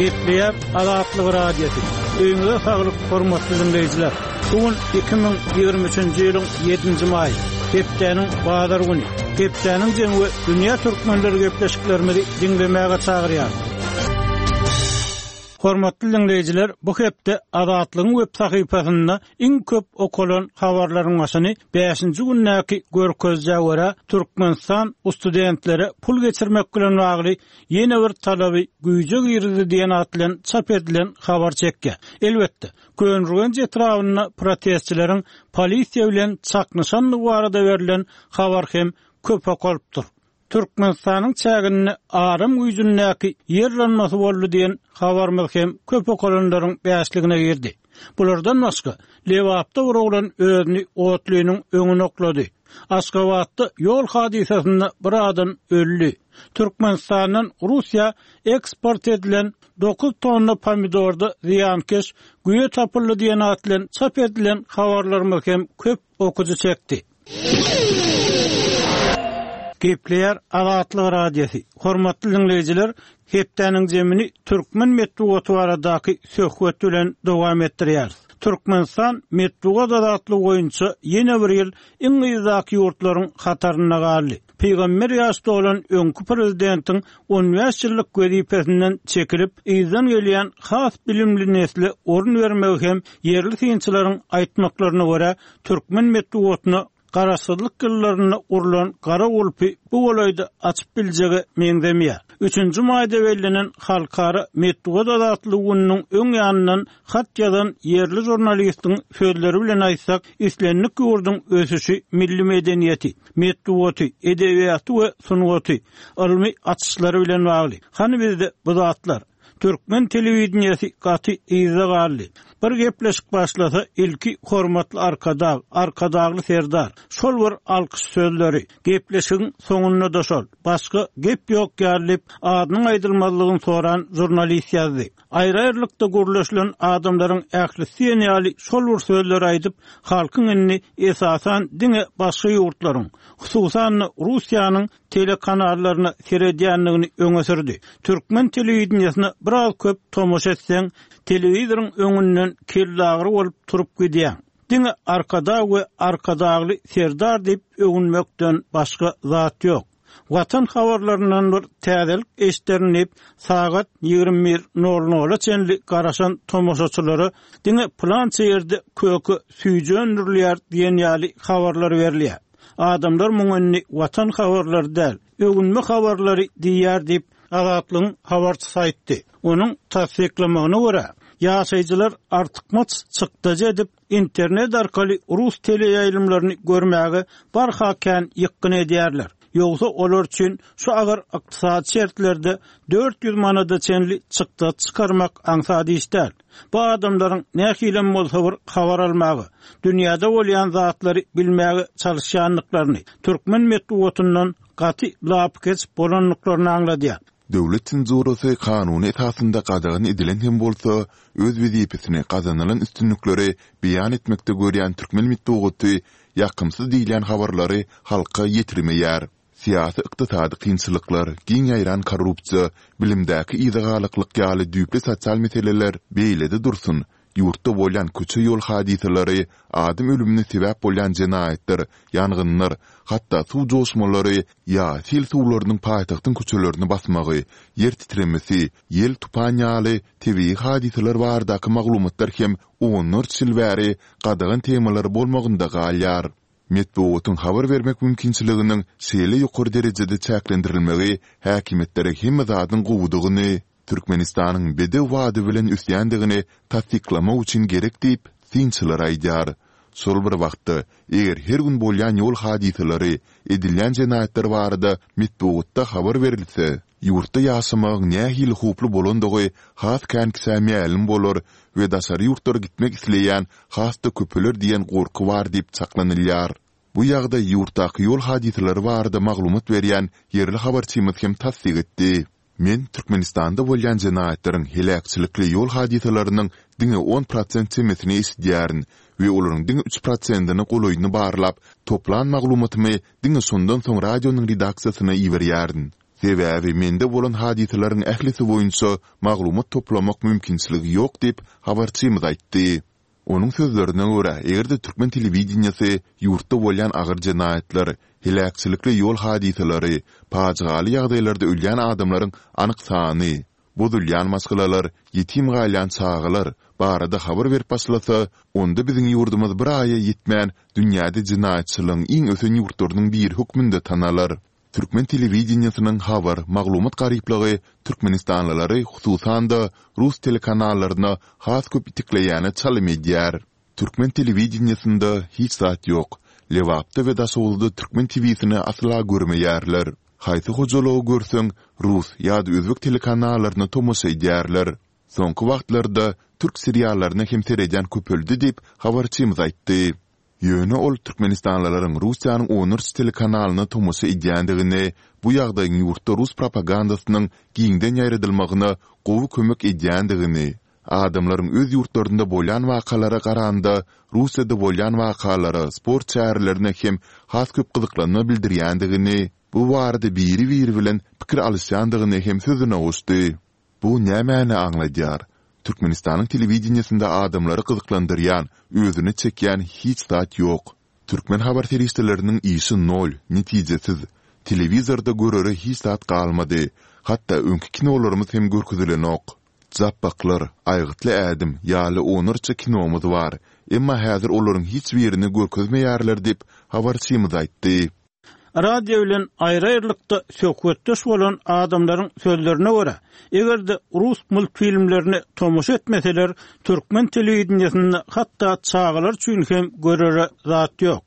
Gepleýär Azatlyk Radiosy. Öýüňize saglyk, hormatly diňleýjiler! Bu gün 2023-nji ýylyň ýedinji maýy, hepdäniň bazar güni. Hepdäniň jemi we dünýä türkmenleri gepleşiklerimizi diňlemäge çagyrýar. Hormatly diňleýjiler, bu hepde Azatlygyň web sahypasynda iň köp okalan habarlaryň başyny bäşinji gündäki görkezijä görä, Türkmenistan studentlere pul geçirmek bilen bagly ýene bir talaby güýje girizdi diýen at bilen çap edilen habar çekýär. Elbetde, Köneürgenç etrabynda protestçileriň polisiýa bilen çaknyşandygy barada berlen habar hem köp okalypdyr. Türkmenistanyň çäginde aram güýjündäki ýer yranmasy boldy diýen habarymyz hem köp okalanlaryň bäşligine girdi. Bulardan başga, Lebapda bir oglan özüni otlynyň öňüne oklady. Aşgabatda ýol hadysasynda bir adam öldi. Türkmenistandan Russiýa eksport edilen dokuz tonna pomidorda zyýankeş güýe tapyldy diýen at bilen çap edilen habarlarymyz hem köp okyjy çekdi. Gepleýär Azatlyk Radiosy. Hormatly diňleýjiler, hepdäniň jemini türkmen metbugaty baradaky söhbet bilen dowam etdirýäris. Türkmenistan metbugat azatlygy boýunça ýene bir ýyl iň yzdaky ýurtlaryň hatarynda galdy. Pygamber ýaş dolan öňki prezidentiň on bäş ýyllyk wezipesinden çekilip, yzdan gelýän has bilimli nesle orun bermegi hem ýerli synçylaryň aýtmaklaryna görä, türkmen metbugatyna garaşsyzlyk ýyllarynda urlan gara gulpy bu golaýda açyp biljege meňzemeýär. Üçünji maýda bellenen Halkara metbugat azatlygy gününiň öň ýanyndan hat ýazan ýerli žurnalistiň sözleri bilen aýtsak, islendik ýurduň ösüşi milli medeniýeti, metbugaty, edebiýaty we sungaty, ylmy açyşlary bilen bagly. Hany bizde bu zatlar? Türkmen telewideniýesi gaty yzda galdy. Bir gepleşik başlasa ilki Hormatly Arkadag, Arkadagly Serdar. Şol bir alkyş sözleri. Gepleşigiň soňunda-da şol. Başga gep ýok ýaly diýip, adynyň aýdylmazlygyny soran žurnalist ýazdy. Aýry-aýrylykda gürleşilen adamlaryň ählisi diýen ýaly şol bir sözleri aýdyp, halkyň indi esasan diňe başga ýurtlaryň, hususan-da Russiýanyň telekanallaryna seredýändigini öňe sürdi. Türkmen telewideniýesine biraz köp tomaşa etseň, telewizoryň öňünden kellagyry bolup turup gidýäň. Diňe Arkadag we Arkadagly Serdar diýip öwünmekden başga zat ýok. Watan habarlaryndan bir täzelik eşderin diýip, sagat 21 nol nola çenli garaşan tomaşaçylara diňe pylança ýerde köke süýji öndürilýär diýen ýaly habarlar berilýär. Adamlar muňa indi Watan habarlary däl, öwünme habarlary diýýär diýip, Azatlygyň habarçysy aýtdy. Onuň tassyklamagyna görä, ýaşaýjylar artykmaç çykdajy edip, internet arkaly rus teleýaýlymlaryny görmäge barha kän ýykgyn edýärler. Ýogsa olar üçin şu agyr ykdysady şertlerde 400 manada çenli çykdajy çykarmak aňsat iş däl. Bu adamlaryň nähilem bolsa bir habar almaga, dünýäde bolýan zatlary bilmäge çalyşýandyklaryny, türkmen metbugatyndan gaty lapykeç bolandyklaryny aňladýar. Döwlet senzurasy kanuny esasynda gadagan edilen hem bolsa, öz wezipesini gazanylan üstünlikleri beýan etmekde görýän türkmen metbugaty ýakymsyz diýilýän habarlary halka ýetirmeýär. Syýasy-ykdysady kynçylyklar, giň ýaýran korrupsiýa, bilimdäki yzagalaklyk ýaly düýpli sosial meseleler beýlede dursun, ýurtda bolýan köçe-ýol hadysalary, adam ölümine sebäp bolýan jenaýatlar, ýangynlar, hatda suw joşmalary ýa sil suwlarynyň paýtagtyň köçelerini basmagy, ýer titremesi, ýel-tupan ýaly tebigy hadysalar baradaky maglumatlar hem onlarça ýyl bäri gadagan temalar bolmagynda galýar. Metbugatyň habar bermek mümkinçiliginiň şeýle ýokary derejede çäklendirilmegi häkimiýetlere hemme zadyň gowudygyny, Türkmenistanyň bedew bady bilen ösýändigini tassyklamak üçin gerek diýip, synçylar aýdýar. Şol bir wagtda, eger her gün bolýan ýol hadysalary, edilýän jenaýatlar barada metbugatda habar berilse, ýurtda ýaşamagyň nähili howply bolandygy has kän kişä mälim bolar we daşary ýurtlara gitmek isleýän has-da köpeler diýen gorky bar diýip çaklanylýar. Bu ýagdaý ýurtdaky ýol hadysalary barada maglumat berýän ýerli habarçymyz hem tassyk etdi. Men Türkmenistanda bolýan jenaýatlaryň, heläkçilikli ýol hadysalarynyň diňe on prosent çemesini eşidýärin we olaryň diňe üç prosentine golaýyny barlap, toplan maglumatymy diňe şondan soň radionyň redaksiýasyna iberýärin. Sebäbi mende bolan hadysalaryň ählisi boýunça maglumat toplamak mümkinçiligi ýok diýip, habarçymyz aýtdy. Onuň sözlerine görä, eger-de türkmen telewideniýesi ýurtda bolýan agyr jenaýatlar, heläkçilikli ýol hadysalary, pajygaly ýagdaýlarda ölýän adamlaryň anyk sany, bozulýan maşgalalar, ýetim galýan çagalar barada habar berip başlasa, onda biziň ýurdumyz bir aýa ýetmän dünýäde jenaýatçylygyň iň ösen ýurtlarynyň biri hökmünde tanalar. Türkmen telewideniýesiniň habar, maglumat garyplygy türkmenistanlylary hususan-da rus telekanallaryna has köp itekleýäne çalym edýär. Türkmen telewideniýesinde hiç zat ýok. Lebapda we Daşoguzda türkmen TW-sini asla görmeýärler. Haýsy hojalygy görseň, rus ýa-da özbek telekanallaryna tomaşa edýärler. Soňky wagtlarda türk seriallaryna hem seredýän köpeldi diýip, habarçymyz aýtdy. Ýöne ol türkmenistanlylaryň Russiýanyň onlarça telekanalyna tomaşa edýändigini, bu ýagdaýyň ýurtda rus propagandasynyň giňden ýaýradylmagyna gowy kömek edýändigini, adamlaryň öz ýurtlarynda bolýan wakalara garanda Russiýada bolýan wakalara, sport çärelerine hem has köp gyzyklanma bildirýändigini, bu barada biri-biri bilen pikir alyşýandygyny hem sözüne goşdy. Bu nämäni aňladýar? Türkmenistanyň telewideniýesinde adamlary gyzyklandyrýan, özüne çekýän hiç zat ýok. Türkmen habar serişdeleriniň işi nol, netijesiz. Telewizorda görere hiç zat galmady. Hatda öňki kinolarymyz hem görkezilenok. Japbaklar, Aýgytly ädim ýaly onlarça kinomyz bar. Emma häzir olaryň hiç birini görkezmeýärler diýip, habarçymyz aýtdy. Radio bilen aýry-aýrylykda söhbetdeş bolan adamlaryň sözlerine görä, eger-de rus multfilmlerine tomaşa etmeseler, türkmen telewideniýesinde hatda çagalar üçin hem görere zat ýok.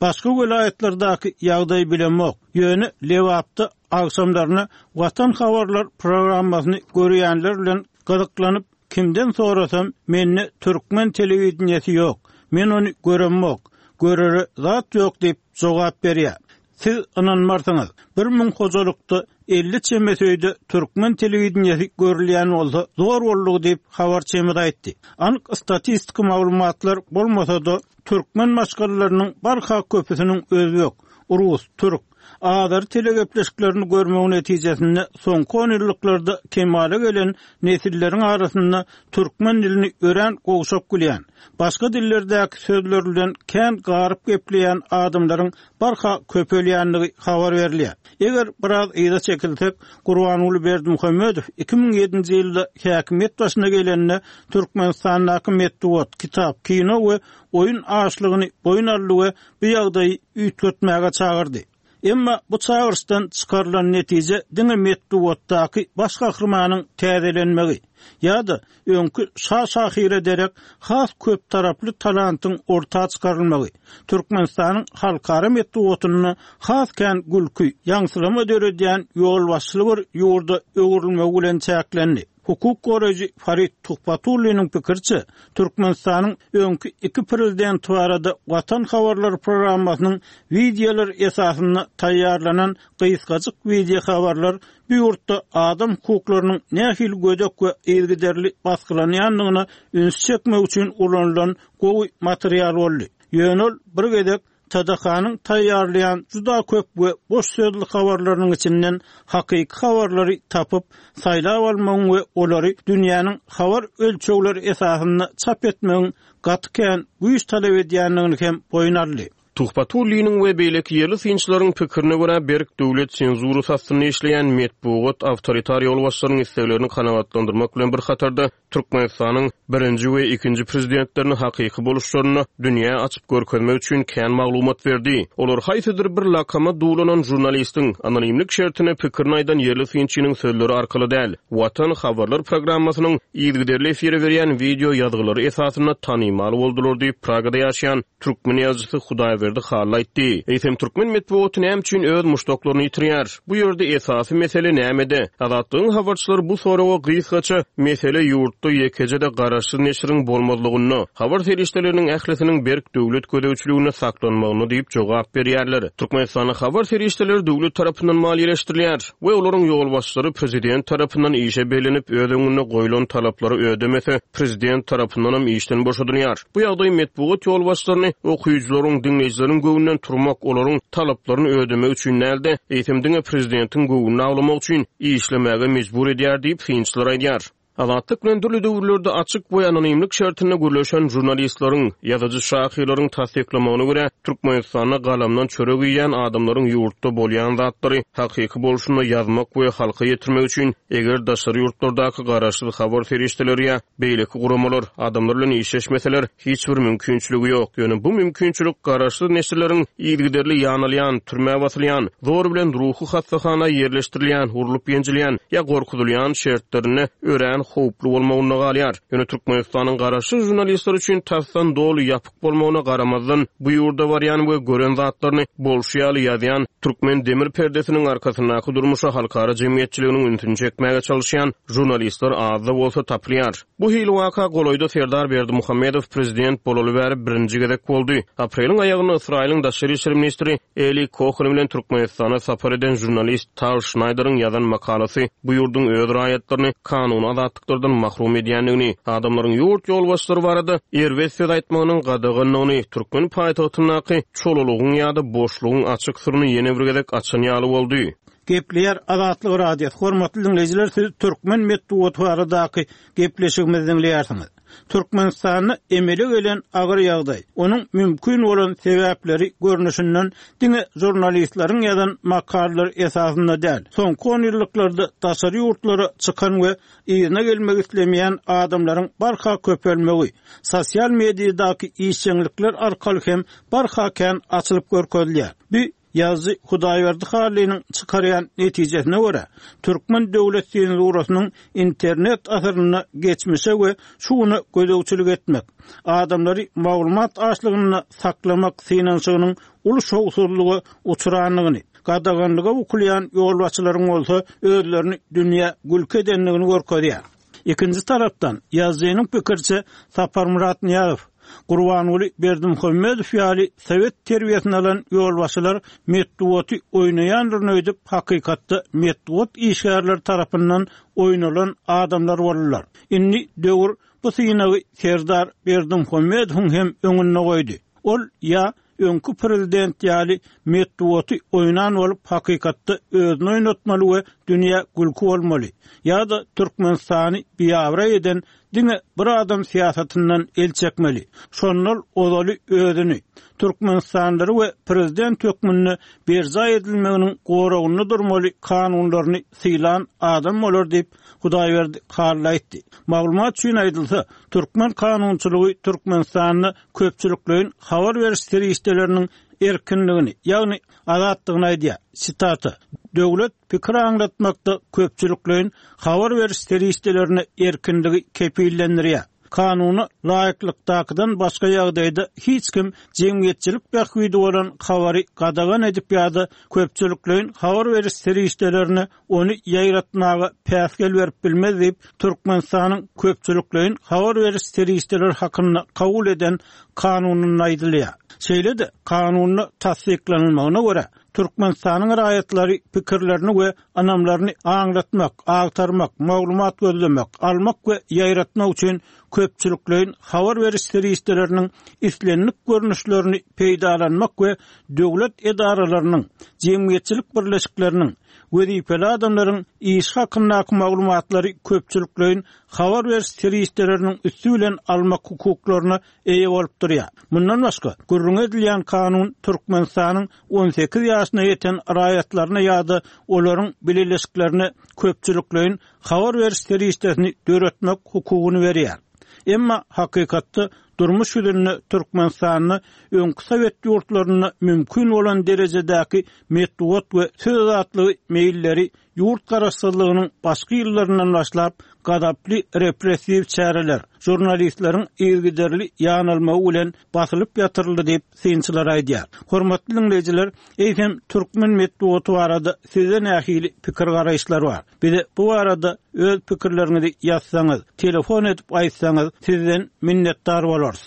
Başga welaýatlardaky ýagdaýy bilemok, ýöne Lebapda agşamlaryna Watan habarlar programmasyny görýänler bilen gyzyklanyp Kimden sorasam, mende türkmen telewideniýesi ýok, men ony göremok, görere zat ýok diýip jogap berýär. Siz ynanmarsyňyz, 1000 hojalykda 50 çemesi öýde türkmen telewideniýesi görülýän bolsa zor boldugy diýip, habarçymyz aýtdy. Anyk statistiki maglumatlar bolmasa-da, türkmen maşgalalarynyň barha köpüsiniň özbek, rus, türk, azary telegepleşiklerini görmegi netijesinde soňky onýyllyklarda kemala gelen nesilleriň arasynda türkmen dilini örän gowşak bilýän, başga dillerdäki sözler bilen kän garyp gepleýän adamlaryň barha köpelýändigi habar berilýär. Eger biraz yza çekilsek, Gurbanguly Berdimuhamedow 2007-nji ýylda häkimiýet başyna gelende Türkmenistandaky metbugat, kitap, kino we oýun açlygyny boýun aldy we bu ýagdaýy üýtgetmäge çagyrdy. Emma bu çagyryşdan çykarylan netije diňe metbugatdaky baş gahrymanyň täzelenmegi ýa-da öňki şa şahyra derek has köptaraply talantyň orta çykarylmagy, Türkmenistanyň halkara metbugatynda has kän gülki, ýaňsylama döredýän ýolbaşçyly bir ýurda öwrülmegi bilen çäklendi. Hukuk goraýjy Farid Tuhbatulliniň pikiriçe, Türkmenistanyň öňki iki prezidenti barada Watan habarlary programmasynyň wideolar esasynda taýýarlanan gysgajyk wideohabarlar bu ýurtda adam hukuklarynyň nähili gödek we yzygiderli basgylanýandygyna üns çekmek üçin ulanylan gowy material boldy. Ýöne ol bir gezek TDH-nyň taýýarlaýan juda köp we boş sözli habarlarynyň içinden hakyky habarlary tapyp, saýlap almagyň we olary dünýäniň habar ölçegleri esasynda çap etmegiň gaty kän güýç talap edýändigini hem boýun aldy. Tuhbatulliniň we beýleki ýerli synçylaryň pikirine görä, berk döwlet senzurasy astynda işleýän metbugat awtoritar ýolbaşçylaryň isleglerini kanagatlandyrmak bilen bir hatarda, Türkmenistanyň birinji we ikinji prezidentlerini hakyky boluşlarynda dünýä açyp görkezmek üçin kän maglumat berdi. Olar haýsydyr bir lakama duwlanan žurnalistiň, anonimlik şertinde pikirini aýdan ýerli synçynyň sözleri arkaly däl, Watan habarlar programmasynyň yzygiderli efire berýän wideo ýazgylary esasynda tanymal boldular diýip, Pragada ýaşaýan türkmen ýazyjysy Hudaýberdi Hally aýtdy. Eýsem, türkmen metbugaty näme üçin öz muşdaklaryny ýitirýär? Bu ýerde esasy mesele nämede? Azatlygyň habarçylary bu soraga gysgaça, mesele ýurtda ýekeje-de garaşsyz neşiriň bolmazlygynda, habar serişdeleriniň ählisiniň berk döwlet gözegçiliginde saklanmagynda diýip jogap berýärler. Türkmenistanda habar serişdeleri döwlet tarapyndan maliýeleşdirilýär we olaryň ýolbaşçylary prezident tarapyndan işe bellenip, öz öňünde goýlan talaplary ödemese, prezident tarapyndanam işden boşadylýar. Bu ýagdaý metbugat ýolbaşçylaryny okyjylaryň, diňleýjileriň. diňleýjileriň göwnünden turmak, olaryň talaplaryny ödemek üçin däl-de, eýsem diňe prezidentiň göwnüni awlamak üçin işlemäge mejbur edýär diýip, synçylar aýdýar. Azatlyk bilen dürli döwürlerde açyk we anonimlik şertinde gürleşen žurnalistleriň, ýazyjy-şahyrlaryň tassyklamagyna görä, Türkmenistanda galamdan çörek iýýän adamlaryň ýurtda bolýan zatlary hakyky bolşunda ýazmak we halka ýetirmek üçin eger daşary ýurtlardaky garaşsyz habar serişdeleri ýa beýleki guramalar adamlar bilen işleşmeseler, hiç bir mümkinçiligi ýok. Ýöne bu mümkinçilik garaşsyz neşirleriň yzygiderli ýanalýan, türmä basylýan, zor bilen ruhy hassahana ýerleşdirilýän, urlup-ýenjilýän ýa gorkuzylýan şertlerinde örän howply bolmagynda galýar. Ýöne Türkmenistanyň garaşsyz žurnalistler üçin tasdan doly ýapyk bolmagyna garamazdan, bu ýurda barýan we gören zatlaryny bolşy ýaly ýazýan, türkmen demir perdesiniň arkasyndaky durmuşa halkara jemgyýetçiliginiň ünsüni çekmäge çalyşýan žurnalistler az-da bolsa tapylýar. Bu hili waka golaýda Serdar Berdimuhamedow prezident bolaly bäri birinji gezek boldy. Apreliň aýagynda Ysraýylyň daşary işler ministri Eli Kohen bilen Türkmenistana sapar eden žurnalist Tal Şnaýderiň ýazan makalasy bu ýurduň öz raýatlaryny kanuny azatlyklardan mahrum edýändigini, adamlaryň ýurt ýolbaşçylary barada erbet söz aýtmagynyň gadagandygyny, türkmen paýtagtyndaky çolalygyň ýa-da boşlugyň açyk syryny ýene bir gezek açan ýaly boldy. Gepleýär Azatlyk Radiosy, Hormatly diňleýjiler siz türkmen metbugaty baradaky gepleşigimizi diňleýärsiňiz. Türkmenistanda emele gelen agyr ýagdaý, onuň mümkin bolan sebäpleri görnüşinden diňe žurnalistleriň ýazan makalalary esasynda däl, soňky onýyllyklarda daşary ýurtlara çykan we yzyna gelmek islemeýän adamlaryň barha köpelmegi, sosial mediadaky işjeňlikler arkaly hem barha kän açylyp görkezilýär. Bu Ýazyjy Hudaýberdi Hallynyň çykarýan netijesine görä, türkmen döwlet senzurasynyň internet asyrynda geçmişe we şu güne gözegçilik etmek, adamlary maglumat açlygynda saklamak synanyşygynyň uly şowsuzlyga uçrandygyny, gadaganlyga bukulýan ýolbaşçylaryň bolsa özlerini dünýä gülki edendigini görkezýär. Ikinji tarapdan, ýazyjynyň pikiriçe, Saparmyrat Nyýazow, Gurbanguly Berdimuhamedow ýaly sowet terbiýesini alan ýolbaşçylar metbugaty oýnaýandyryn öýdüp, hakykatda metbugat işgärleri tarapyndan oýnalan adamlar boldular. Indi döwür bu synagy Serdar Berdimuhamedowyň hem öňünde goýdy. Ol ýa öňki prezident ýaly metbugaty oýnan bolup hakykatda özüni oýnatmaly we dünýä gülki bolmaly ýa-da Türkmenistany biabraý eden diňe bir adam syýasatyndan el çekmeli. Şonda ol ozaly özüni, türkmenistanlylary we prezident hökmünde berjaý edilmeginiň goragynda durmaly kanunlaryny sylan adam bolar diýip, Hudaýberdi Hally aýtdy. Maglumat üçin aýdylsa, türkmen kanunçylygy Türkmenistanda köpçülikleýin habar beriş serişdeleriniň erkinligini, ýagny azatlygyny aýdýar. Sitata, Döwlet pikir aňlatmakda köpçülikleýin habar beriş serişdelerine erkinligi kepillendirýär. Kanuna laýyklykdakydan başga ýagdaýda hiç kim jemgyýetçilik bähbidi bolan habary gadagan edip ýa-da köpçülikleýin habar beriş serişdelerine ony ýaýratmaga päsgel berip bilmez diýip, Türkmenistanyň Köpçülikleýin habar beriş serişdeleri hakynda kabul eden Kanunynda aýdylýar. Şeýle-de, Kanunda tassyklanylmagyna görä, Türkmenistanyň raýatlary pikirlerini we ynamlaryny aňlatmak, agtarmak, maglumat gözlemek, almak we ýaýratmak üçin köpçülikleýin habar beriş serişdeleriniň islendik görnüşlerini peýdalanmak we döwlet edaralarynyň, jemgyýetçilik birleşikleriniň, wezipeli adamlaryň işi hakyndaky maglumatlary köpçülikleýin habar beriş serişdeleriniň üsti bilen almak hukuklaryna eýe bolup durýar. Mundan başga, gürrüňi edilýän kanun Türkmenistanyň 18 ýaşyna ýeten raýatlaryna ýa-da olaryň bileleşiklerine köpçülikleýin habar beriş serişdesini döretmek hukugyny berýär. Emma hakykatda durmuş ýüzünde Türkmenistanda öňki sowet ýurtlarynda mümkin bolan derejedäki metbugat we söz azatlygy meýilleri ýurt garaşsyzlygynyň başky ýyllaryndan başlap gazaply repressiw çäreler, žurnalistleriň yzygiderli ýanalmagy bilen basylyp ýatyryldy diýip, synçylar aýdýar. Hormatly diňleýjiler, eýsem türkmen metbugaty barada sizde nähili pikir-garaýyşlar bar? Bize bu barada öz pikirleriňizi ýazsaňyz, telefon edip aýtsaňyz, sizden minnetdar bolarys.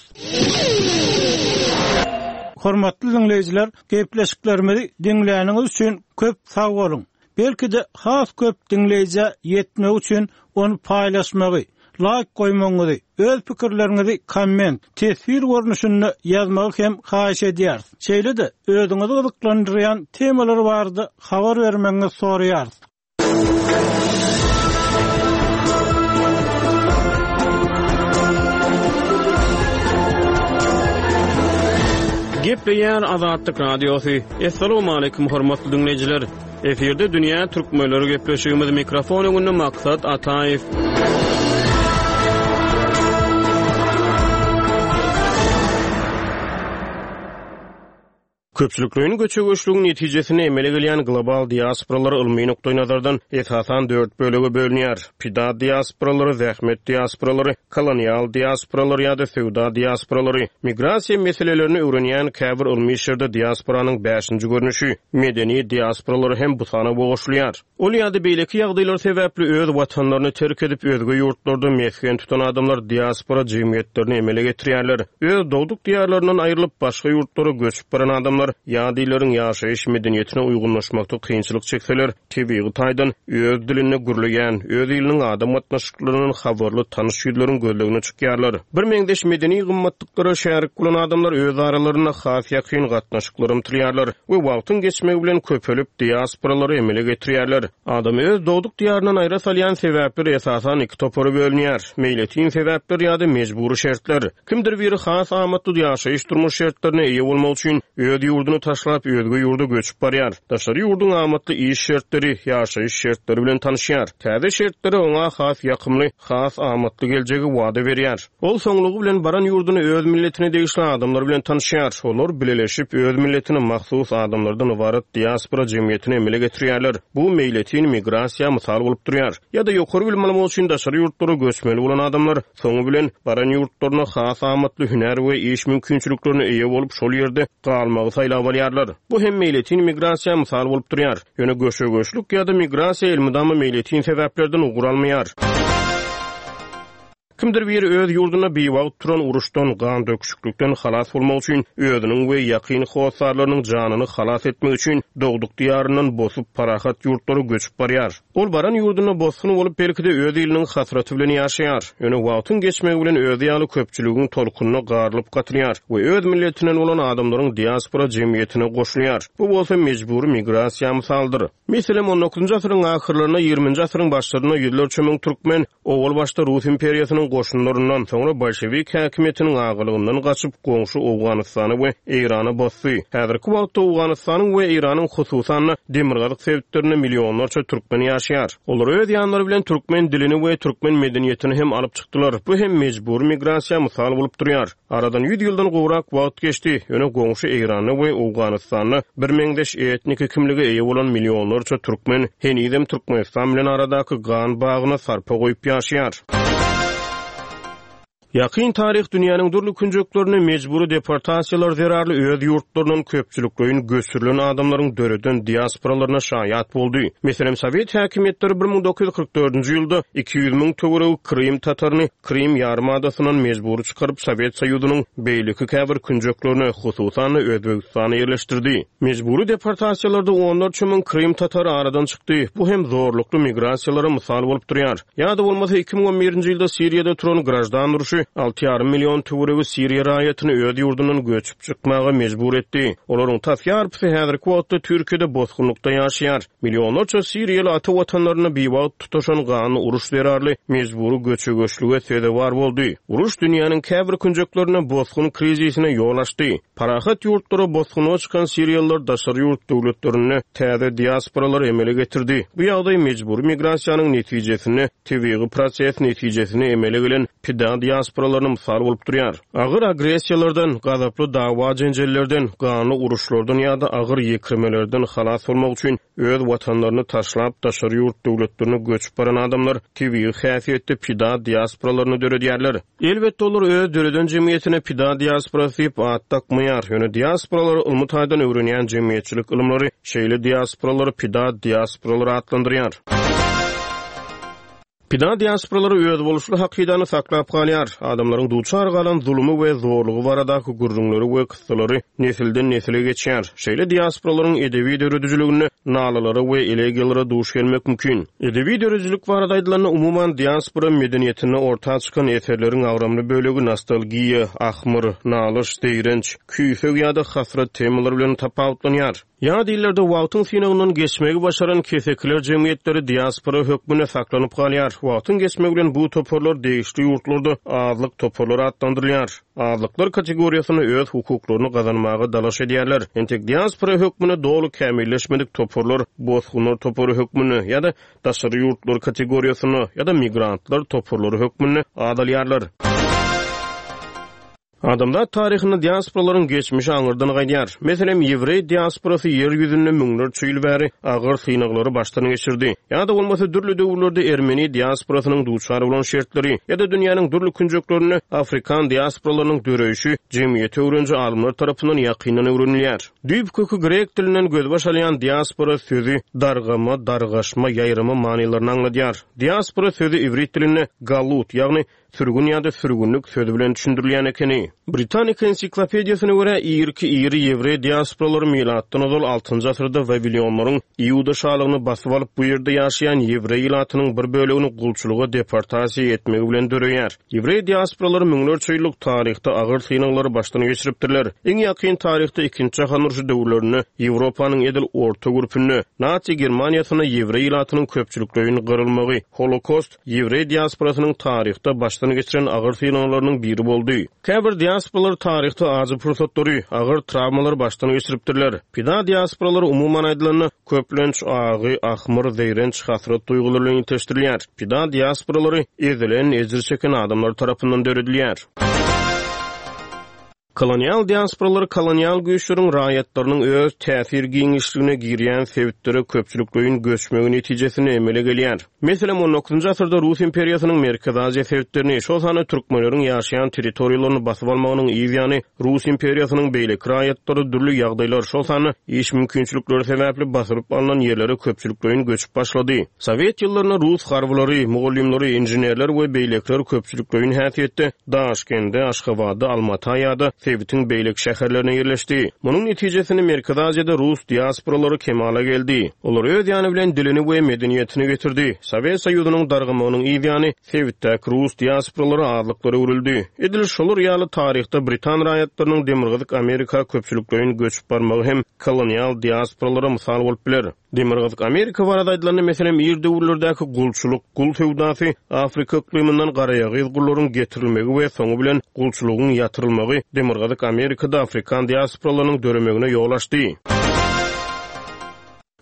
Hormatly diňleýjiler, gepleşiklerimizi diňläniňiz üçin köp sag boluň! Belki-de has köp diňleýjä ýetmegi üçin ony paýlaşmagy, laýk goýmagyňyzy, öz pikirleriňizi komment, teswir görnüşinde ýazmagy hem haýyş edýäris. Şeýle-de, özüňizi gyzyklandyrýan temalar barada habar bermegiňizi soraýarys. Gepleýär Azatlyk Radiosy. Assalamualaikum hormatly diňleýjiler. Efirde dünýä türkmenleri gepleşigimiz mikrofon öňünde Maksat Ataýew. Köpçülikleýin göçe-göçlügiň netijesinde emele gelýän global diasporalar ylmy nukdaýnazardan esasan dört bölege bölünýär, pida diasporalary, zähmet diasporalary, kolonial diasporalary ýa-da söwda diasporalary. Migrasiýa meselelerini öwrenýän käbir ylmy işlerde diasporanyň bäşinji görnüşi, medeni diasporalary hem bu sanawa goşulýar. Ol ýa-da beýleki ýagdaýlar sebäpli öz watanlaryny terk edip, özge ýurtlarda mesgen tutan adamlar diaspora jemgyýetlerini emele getirýärler. Öz dogduk diýarlaryndan aýrylyp, başga ýurtlara göçüp baran adamlar ýat illeriň ýaşaýyş medeniýetine uýgunlaşmakda kynçylyk çekseler, tebigy taýdan öz dilinde gürleýän, öz iliniň adam gatnaşyklaryndan habarly tanyş ýüzleriň gözlegine çykýarlar. Birmeňzeş medeni gymmatlyklara şärik bolan adamlar öz aralarynda has ýakyn gatnaşyklara ymtylýarlar we wagtyň geçmegi bilen köpelip, diasporalary emele getirýärler. Adamy öz dogduk diýaryndan aýra salýan sebäpler esasan iki topara bölünýär, meýletin sebäpler ýa-da mejbury şertler. Kimdir biri has amatly ýaşaýyş-durmuş şertlerine eýe bolmak üçin öz ýurduny taşlap, özge ýurda göçüp barýar. Daşary ýurduň amatly iş şertleri, ýaşaýyş şertleri bilen tanyşýar. Täze şertleri oňa has ýakymly, has amatly geljegi wada berýär. Ol soňlugy bilen baran ýurdunda öz milletine degişli adamlar bilen tanyşýar. Olar bileleşip, öz milletine mahsus adamlardan ybarat diaspora jemgyýetini emele getirýärler. Bu meýletin migrasiýa mysal bolup durýar. Ýa-da ýokary bilim almak üçin daşary ýurtlara göçmeli bolan adamlar Soňy bilen, baran ýurtlarynda has amatly hünär we iş mümkinçiliklerine eýe bolup, şol ýerde galmagy saýlap alýarlar. Bu hem meýletin migrasiýa mysal bolup durýar. Ýöne göçe-göçlük ýa-da migrasiýa elmydama meýletin sebäplerden ugur almaýar. Kimdir biri öz ýurdunda biwagt turan uruşdan, gan döküşiklikden halas bolmak üçin, özüniň we ýakyn hossarlarynyň janyny halas etmek üçin dogduk diýaryndan bosup, parahat ýurtlara göçüp barýar. Ol baran ýurdunda bosgun bolup, belki-de, öz iliniň hasraty bilen ýaşaýar. Ýöne wagtyň geçmegi bilen özi ýaly köpçüligiň tolkunyna garylyp-gatylýar we öz milletinden bolan adamlaryň diaspora jemgyýetine goşulýar. Bu bolsa mejbury migrasiýa mysaldyr. Meselem, on dokuzynjy asyryň ahyrlarynda, ýigriminji asyryň başlarynda ýüzlerçe müň türkmen Owal başda Rus imperiýasynyň goşunlaryndan, soňra bolşewik häkimiýetiniň agalygyndan gaçyp, goňşy Owganystana we Eýrana bosdy. Häzirki wagtda Owganystanyň we Eýranyň, hususan-da, demirgazyk sebitlerinde millionlarça türkmen ýaşaýar. Olar öz ýanlary bilen türkmen dilini we türkmen medeniýetini hem alyp çykdylar. Bu hem mejbury migrasiýa mysal bolup durýar. Aradan ýüz ýyldan gowrak wagt geçdi, ýöne goňşy Eýranda we Owganystanda birmeňzeş etniki kimlige eýe bolan millionlarça türkmen henizem Türkmenistan bilen aradaky gan bagyna sarpa goýup ýaşaýar. Ýakyn taryh dünýäniň dürli künjeklerinde mejbury deportasiýalar zerarly öz ýurtlaryndan köpçülikleýin göçürilen adamlaryň döreden diasporalaryna şaýat boldy. Meselem, sowet häkimiýetleri 1944-nji ýylda 200 müň töweregi krym tataryny Krym ýarymadasyndan mejbury çykaryp, Sowet Soýuzynyň beýleki käbir künjeklerine, hususan-da, Özbegistana ýerleşdirdi. Mejbury deportasiýalarda onlarça müň krym tatary aradan çykdy. Bu hem zorlukly migrasiýalara mysal bolup durýar. Ýa-da bolmasa, 2011-nji ýylda Siriýada turan graždan urşy alty ýarym million töweregi siriýa raýatyny öz ýurdundan göçüp çykmaga mejbur etdi. Olaryň tas ýarpysy häzirki wagtda Türkiýede bosgunlykda ýaşaýar. Millionlarça siriýaly ata watanlarynda biwagt tutaşan ganly uruş zerarly mejbury göçe-göçlüge sezewar boldy. Uruş dünýäniň käbir künjeklerinde bosgun krizisine ýol açdy. Parahat ýurtlara bosgunlyga çykan siriýalylar daşary ýurt döwletlerinde täze diasporalary emele getirdi. Bu ýagdaý mejbury migrasiýanyň netijesinde tebigy proses netijesinde emele gelen pida diasporalaryna mysal bolup durýar. Agyr agressiýalardan, gazaply dawa-jenjellerden, ganly uruşlardan ýa-da agyr ýekirmelerden halas bolmak üçin öz watanlaryny taşlap daşary ýurt döwletlerine göçüp baran adamlar tebigy häsiýetde pida diasporalaryny döredýärler. Elbetde olar öz döreden jemgyýetine pida diasporasy diýip at dakmaýar, ýöne diasporalary ylmy taýdan öwrenýän jemgyýetçilik ylymlary şeýle diasporalary pida diasporalary atlandyrýar. Pida diasporalary özboluşly hakydany saklap galýar, adamlaryň duçar galan zulumy we zorlugy baradaky gürrüňleri we kyssalary nesilden-nesile geçýär. Şeýle diasporalaryň edebi döredijiliginde nalalara we elegiýalara duş gelmek mümkin. Edebi döredijilik barada aýdylanda, umuman, diaspora medeniýetinde orta çykan eserleriň agramly bölegi nostalgiýa, ahmyr, nalyş, zeýrenç, küýseg ýa-da hasrat temalary bilen tapawutlanýar. Ýat illerde wagtyň synagyndan geçmegi başaran kesekiler jemgyýetleri diaspora hökmünde saklanyp galýar. Wagtyň geçmegi bilen bu toparlar degişli ýurtlarda azlyk toparlary atlandyrylýar. Azlyklar kategoriýasynda öz hukuklaryny gazanmaga dalaş edýärler. Entek diaspora hökmünde doly kämilleşmedik toparlar bosgunlar topary hökmünde ýa-da daşary ýurtlar kategoriýasynda ýa-da migrantlar toparlary hökmünde azalýarlar. Adamzat taryhynda diasporalaryň geçmişi aňyrdan gaýdýar. Meselem, ýewreý diasporasy ýer ýüzünde müňlerçe ýyl bäri agyr synaglary başdan geçirdi. Ýa-da bolmasa dürli döwürlerde ermeni diasporasynyň duçar bolan şertleri ýa-da dünýäniň dürli künjeklerinde afrikan diasporalarynyň döreýşi jemgyýeti öwreniji alymlar tarapyndan ýakyndan öwrenilýär. Düýp köki grek dilinden gözbaş alýan diaspora sözi dargama, dargaşma, ýaýrama manylaryny aňladýar. Diaspora sözi iwrit dilinde galut, ýagny Sürgün ýa-da sürgünlik sözi bilen düşündirilýän ekeni. Britanika ensiklopediýasyna görä, irki iri ýewreý diasporalary milatdan ozal altynjy asyrda wawilionlaryň Iuda şalygyny basyp alyp, bu ýerde ýaşaýan ýewreý ilatynyň bir bölegini gulçulyga deportasiýa etmegi bilen döreýär. Ýewreý diasporalary müňlerçe ýyllyk taryhda agyr synaglary başdan geçiripdirler. Iň ýakyn taryhda Ikinji jahan urşy döwürlerinde Ýewropanyň edil orta gürpünde, Nasi Germaniýasynda ýewreý ilatynyň köpçülikleýin gyrylmagy, Holokost, Ýewreý diasporasynyň taryhda başdan geçiren agyr synaglarynyň biri boldy. Käbir diasporalar taryhda ajy pursatlary, agyr trawmalary başdan geçiripdirler. Pida diasporalary umuman aýdylanda, köplenç agy, ahmyr, zeýrenç, hasrat duýgulary bilen ilteşdirilýär. Pida diasporalary ezilen, ejir çeken adamlar tarapyndan döredilýär. Kolonial diasporalar kolonial güýçleriň raýatlarynyň öz täsir giňişligine girýän sebitlere köpçülikleýin göçmegi netijesinde emele gelýär. Meselem, on dokuzynjy asyrda Rus imperiýasynyň Merkezi Aziýa sebitlerini, şol sanda türkmenleriň ýaşaýan territoriýalaryny basyp almagynyň yz ýany Rus imperiýasynyň beýleki raýatlary dürli ýagdaýlar, şol sanda iş mümkinçilikleri sebäpli basylyp alnan ýerlere köpçülikleýin göçüp başlady. Sowet ýyllarynda rus harbylary, mugallymlary, inženerler we beýlekiler köpçülikleýin häsiýetde Daşkende, Aşgabada, Almata ýa-da sebitiň beýleki şäherlerine ýerleşdi. Munuň netijesinde Merkezi Aziýada rus diasporalary kemala geldi. Olar öz ýany bilen dilini we medeniýetini getirdi. Sowet Soýuzynyň dargamagynyň yz ýany sebitdäki rus diasporalary azlyklara öwrüldi. Edil şolar ýaly taryhda britan raýatlarynyň Demirgazyk Amerika köpçülikleýin göçüp barmagy hem kolonial diasporalara mysal bolup biler. Demirgazyk Amerika barada aýdylanda, meselem, ir döwürlerdäki gulçulyk, gul söwdasy, Afrika yklymyndan garaýagyz gullaryň getirilmegi we soňy bilen gulçulygyň ýatyrylmagy Demirgazyk Amerikada afrikan diasporalarynyň döremegine ýol açdy.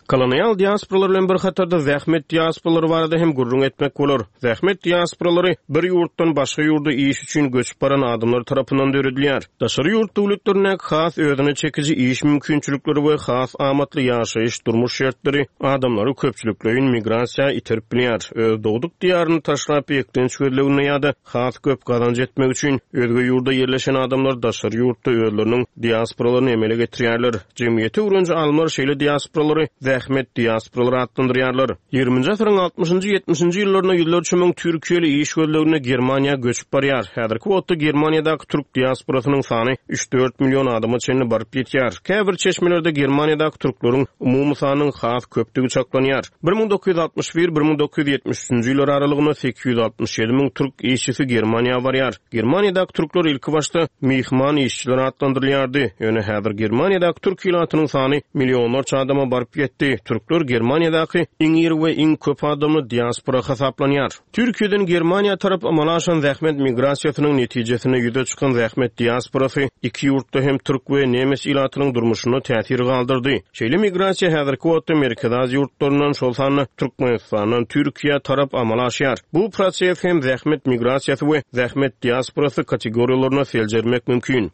Kolonial diasporalar bilen bir hatarda zähmet diasporalary barada hem gürrüň etmek bolar. Zähmet diasporalary bir ýurtdan başga ýurda iş üçin göçüp baran adamlar tarapyndan döredilýär. Daşary ýurt döwletlerindäki has özüne çekiji iş mümkinçilikleri we has amatly ýaşaýyş-durmuş şertleri adamlary köpçülikleýin migrasiýa iterip bilýär. Öz dogduk diýaryny taşlap, eklenç gözleginde ýa-da has köp gazanç etmek üçin özge ýurda ýerleşen adamlar daşary ýurtda özleriniň diasporalaryny emele getirýärler. Jemgyýeti öwreniji alymlar şeýle diasporalary zähmet diasporalary atlandyrýarlar. Ýigriminji asyryň altmyşynjy, ýetmişinji ýyllarynda ýüzlerçe müň türkiýeli iş gözleginde Germaniýa göçüp barýar. Häzirki wagtda Germaniýadaky türk diasporasynyň sany üç-dört million adama çenli baryp ýetýär. Käbir çeşmelerde Germaniýadaky türkleriň umumy sanynyň has köpdügi çaklanýar. 1961, 1973-nji ýyllar aralygynda 867 müň türk işçisi Germaniýa barýar. Germaniýadaky türkler ilkibaşda myhman işçiler atlandyrylýardy. Ýöne häzir Germaniýadaky türk ilatynyň sany millionlarça adama baryp ýetdi. Türkler Germaniýadaky iň iri we iň köp adamly diaspora hasaplanýar. Türkiýeden Germaniýa tarap amala aşan zähmet migrasiýasynyň netijesinde ýüze çykan zähmet diasporasy iki ýurtda hem türk we nemes ilatynyň durmuşynda täsir galdyrdy. Şeýle migrasiýa häzirki wagtda Merkezi Aziýa ýurtlaryndan, şol sanda Türkmenistandan Türkiýä tarap amala aşýar. Bu proses hem zähmet migrasiýasy we zähmet diasporasy kategoriýalarynda seljermek mümkin.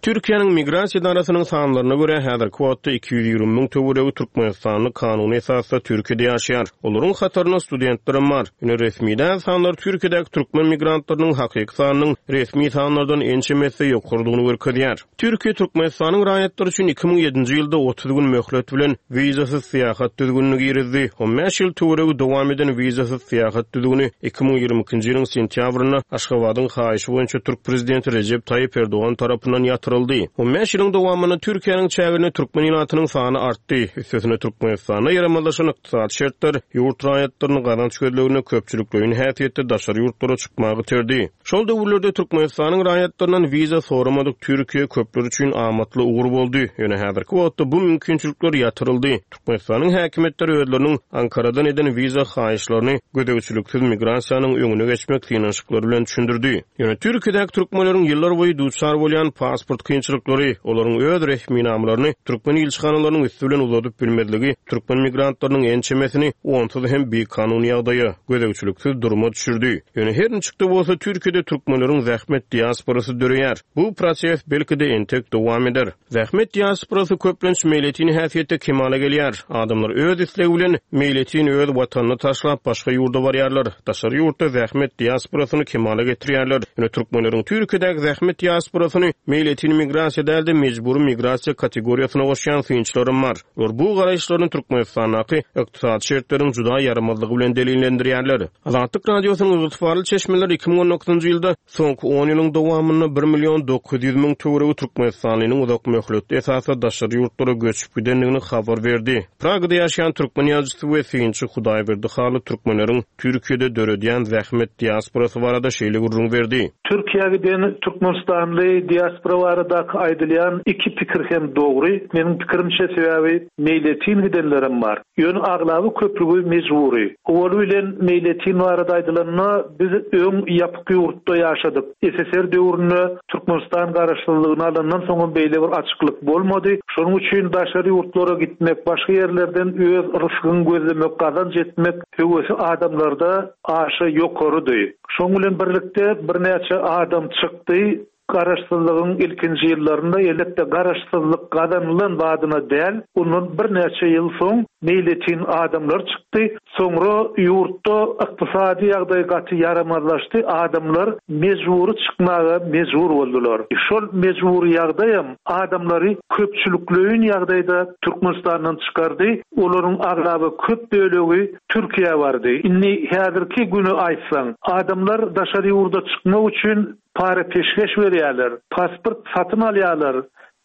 Türkiýäniň Migrasiýa edarasynyň sanlaryna görä, häzirki wagtda 220 müň töweregi türkmenistanly kanuny esasda Türkiýede ýaşaýar. Olaryň hatarynda studentlerem bar. Ýöne resmi däl sanlar Türkiýedäki türkmen migrantlarynyň hakyky sanynyň resmi sanlardan ençeme esse ýokarydygyny görkezýär. Türkiýe Türkmenistanyň raýatlary üçin 2007-nji ýylda 30 gün möhlet bilen wizasyz syýahat düzgünini girizdi. On bäş ýyl töweregi dowam eden wizasyz syýahat düzgüni 2022-nji ýylyň sentýabrynda Aşgabadyň haýyşy boýunça türk prezidenti Rejep Taýyp Erdogan tarapyndan ýatyryldy. On bäş ýylyň dowamynda Türkiýäniň çäginde türkmen ilatynyň sany artdy. Üstesine Türkmenistanda ýaramazlaşan ykdysady şertler ýurt raýatlaryny gazanç gözleginde köpçülikleýin häsiýetde daşary ýurtlara çykmaga iterdi. Şol döwürlerde Türkmenistanyň raýatlaryndan wiza soramadyk Türkiýe köpler üçin amatly ugur boldy. Ýöne häzirki wagtda bu mümkinçilikler ýatyryldy. Türkmenistanyň häkimiýetleri özleriniň Ankaradan eden wiza haýyşlaryny gözegçiliksiz migrasiýanyň öňüne geçmek synanyşyklary bilen düşündirdi. Ýöne Türkiýedäki türkmenleriň ýyllarboýy duçar bolýan pasport kynçylyklary, olaryň öz resminamalaryny türkmen ilçihanalarynyň üsti bilen uzadyp bilmezligi türkmen migrantlarynyň ençemesini onsuz hem bikanun ýagdaýa, gözegçiliksiz duruma düşürdi. Ýöne her niçik-de bolsa Türkiýede türkmenleriň zähmet diasporasy döreýär. Bu proses belki-de entek dowam eder. Zähmet diasporasy köplenç meýletin häsiýetde kemala gelýär. Adamlar öz islegi bilen meýletin öz watanyny taşlap başga ýurda barýarlar. Daşary ýurtda zähmet diasporasyny kemala getirýärler. Ýöne türkmenleriň Türkiýedäki zähmet diasporasyny meýletin migrasiýa däl-de mejbury migrasiýa kategoriýasyna goşýan synçylaram bar. Olar bu garaýyşlaryny Türkmenistandaky ykdysady şertleriň juda ýaramazlygy bilen delillendirýärler. Azatlyk Radiosynyň ygtybarly çeşmeleri 2019-njy ýylda soňky on ýylyň dowamynda bir million 900 müň töweregi türkmenistanlynyň uzak möhletli esasda daşary ýurtlara göçüp gidendigini habar berdi. Pragada ýaşaýan türkmen ýazyjysy we synçy Hudaýberdi Hally türkmenleriň Türkiýede döredýän zähmet diasporasy barada şeýle gürrüň berdi. Türkiýä giden türkmenistanly diaspora baradaky aýdylýan iki pikir hem dogry. Meniň pikirimçe sebäbi meýletin gidenlerem bar. Ýöne aglaba köplügi mejbury. Owaly bilen meýletin barada aýdylanda biz öň ýapyk ýurtda ýaşadyk. SSR döwründe Türkmenistan garaşsyzlygyny alandan soňam beýle bir açyklyk bolmady. Şonuň üçin daşary ýurtlara gitmek, başga ýerlerden öz rysgyňy gözlemek, gazanç etmek höwesi adamlarda aşa ýokarydy. Şonuň bilen birlikde birnäçe adam çykdy. Garaşsyzlygyň ilkinji ýyllarynda, elbetde, garaşsyzlyk gazanylan badyna däl, ondan birnäçe ýyl soň meýletin adamlar çykdy. Soňra ýurtda ykdysady ýagdaý gaty ýaramazlaşdy, adamlar mejbury çykmaga mejbur boldular. Şol mejbury ýagdaýam adamlary köpçülikleýin ýagdaýda Türkmenistandan çykardy, olaryň aglaba köp bölegi Türkiýä bardy. Indi häzirki güni aýtsaň, adamlar daşary ýurda çykmak üçin para-peşgeş berýärler, pasport satyn alýarlar,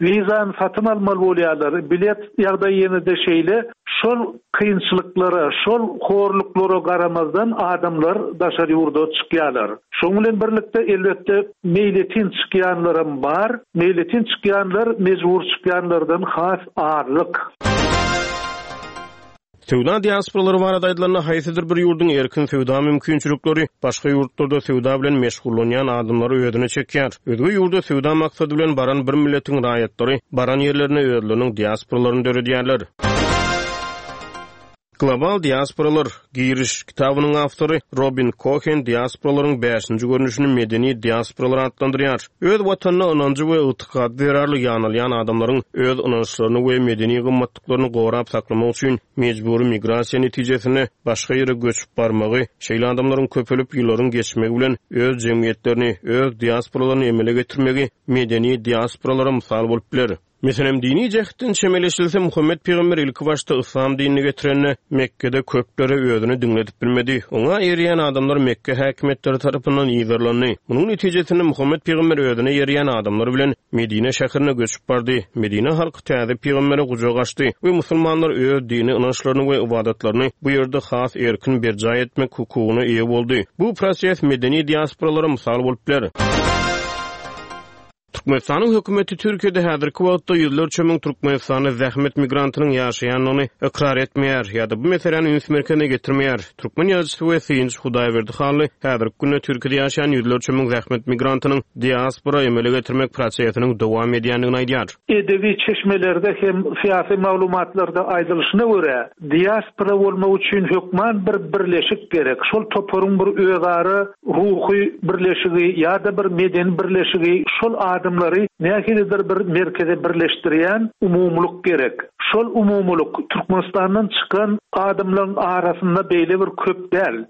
wizany satyn almaly bolýarlar, bilet ýagdaýy ýene-de şeýle. Şol kynçylyklara, şol horluklara garamazdan adamlar daşary ýurda çykýarlar. Şonuň bilen birlikde, elbetde, meýletin çykýanlaram bar. Meýletin çykýanlar mejbur çykýanlardan has azlyk. Söwda diasporalary barada aýdylanda, haýsydyr bir ýurduň erkin söwda mümkinçilikleri başga ýurtlarda söwda bilen meşgullanýan adamlary özüne çekýär. Özge ýurda söwda maksady bilen baran bir milletiň raýatlary baran ýerlerinde özleriniň diasporalaryny döredýärler. Global diasporalar, Giriş, kitabynyň awtory Robin Kohen diasporalaryň bäşinji görnüşini medeni diasporalar atlandyrýar. Öz watanyna ynanjy we ygtykady zerarly ýanalýan adamlaryň öz ynançlaryny we medeni gymmatlyklaryny gorap saklamak üçin mejbury migrasiýa netijesinde başga ýere göçüp barmagy, şeýle adamlaryň köpelip ýyllaryň geçmegi bilen öz jemgyýetlerini, öz diasporalaryny emele getirmegi medeni diasporalara mysal bolup biler. Meselem, dini jähtden çemeleşilse, Muhammet pygamber ilki başda yslam dinini getirende, Mekgede köplere özüni diňledip bilmedi. Oňa eýerýän adamlar Mekge häkimiýetleri tarapyndan yzarlandy. Munuň netijesinde Muhammet pygamber özüne eýerýän adamlar bilen Medine şäherine göçüp bardy. Medine halky täze pygambere gujak açdy we musulmanlar öz dini ynançlaryny we ybadatlaryny bu ýerde has erkin berjaý etmek hukugyna eýe boldy. Bu proses medeni diasporalara mysal bolup biler. Türkmenistanyň hökümeti Türkiýede häzirki wagtda ýüzlerçe müň türkmenistanly zähmet migrantynyň ýaşaýandygyny ykrar etmeýär ýa-da bu meseläni üns merkezine getirmeýär. Türkmen ýazyjysy we synçy Hudaýberdi Hally häzirki günde Türkiýede ýaşaýan ýüzlerçe müň zähmet migrantynyň diaspora emele getirmek prosesiniň dowam edýändigini aýdýar. Edebi çeşmelerde hem syýasy maglumatlarda aýdylyşyna görä, diaspora bolmak üçin hökman bir birleşik gerek. Şol toparyň bir özara ruhy birleşigi ýa-da bir medeni birleşigi şol adamlaryň. adamlary nähilidir bir merkeze birleşdirýän umumylyk gerek. Şol umumylyk Türkmenistandan çykan adamlaryň arasynda beýle bir köp däl.